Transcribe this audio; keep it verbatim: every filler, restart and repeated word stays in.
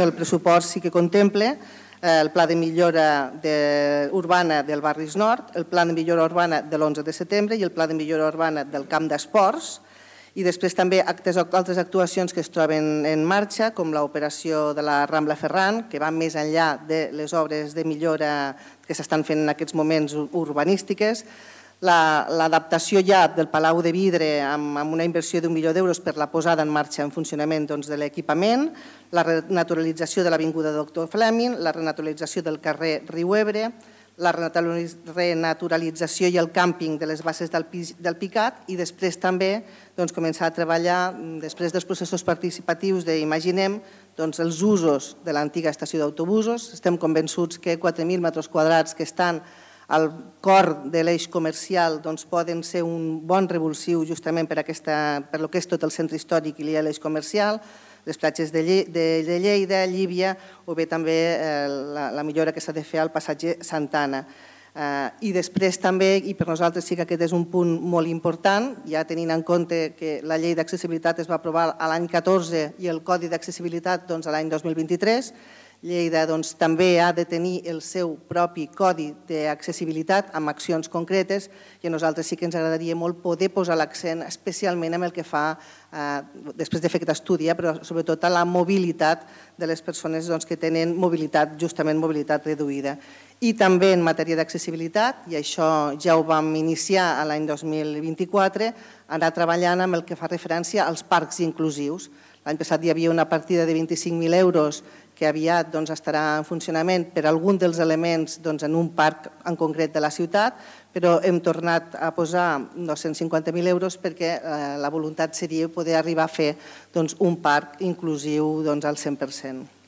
El pressupost sí que contempla el pla de millora urbana del Barris Nord, el pla de millora urbana de l'onze de setembre i el pla de millora urbana del camp d'esports, i després també altres actuacions que es troben en marxa, com l'operació de la Rambla Ferran, que va més enllà de les obres de millora que s'estan fent en aquests moments urbanístiques, l'adaptació ja del Palau de Vidre amb una inversió d'un milió d'euros per la posada en marxa en funcionament de l'equipament, la renaturalització de l'avinguda Doctor Fleming, la renaturalització del carrer Riu Ebre, la renaturalització i el càmping de les bases del Picat i després també començar a treballar, després dels processos participatius d'Imaginem, els usos de l'antiga estació d'autobusos. Estem convençuts que quatre mil metres quadrats que estan al cor de l'eix comercial poden ser un bon revulsiu justament per el que és tot el centre històric i l'eix comercial, les platges de Lleida, Llívia o bé també la millora que s'ha de fer al passatge Santa Anna. I després també, i per nosaltres sí que aquest és un punt molt important, ja tenint en compte que la llei d'accessibilitat es va aprovar l'any catorze i el Codi d'accessibilitat l'any dos mil vint-i-tres, Lleida també ha de tenir el seu propi codi d'accessibilitat amb accions concretes i a nosaltres sí que ens agradaria molt poder posar l'accent especialment en el que fa, després de fer aquest estudi, però sobretot a la mobilitat de les persones que tenen mobilitat, justament mobilitat reduïda. I també en matèria d'accessibilitat, i això ja ho vam iniciar l'any dos mil vint-i-quatre, anar treballant amb el que fa referència als parcs inclusius. L'any passat hi havia una partida de vint-i-cinc mil euros que aviat estarà en funcionament per algun dels elements en un parc en concret de la ciutat, però hem tornat a posar dos-cents cinquanta mil euros perquè la voluntat seria poder arribar a fer un parc inclusiu al cent per cent.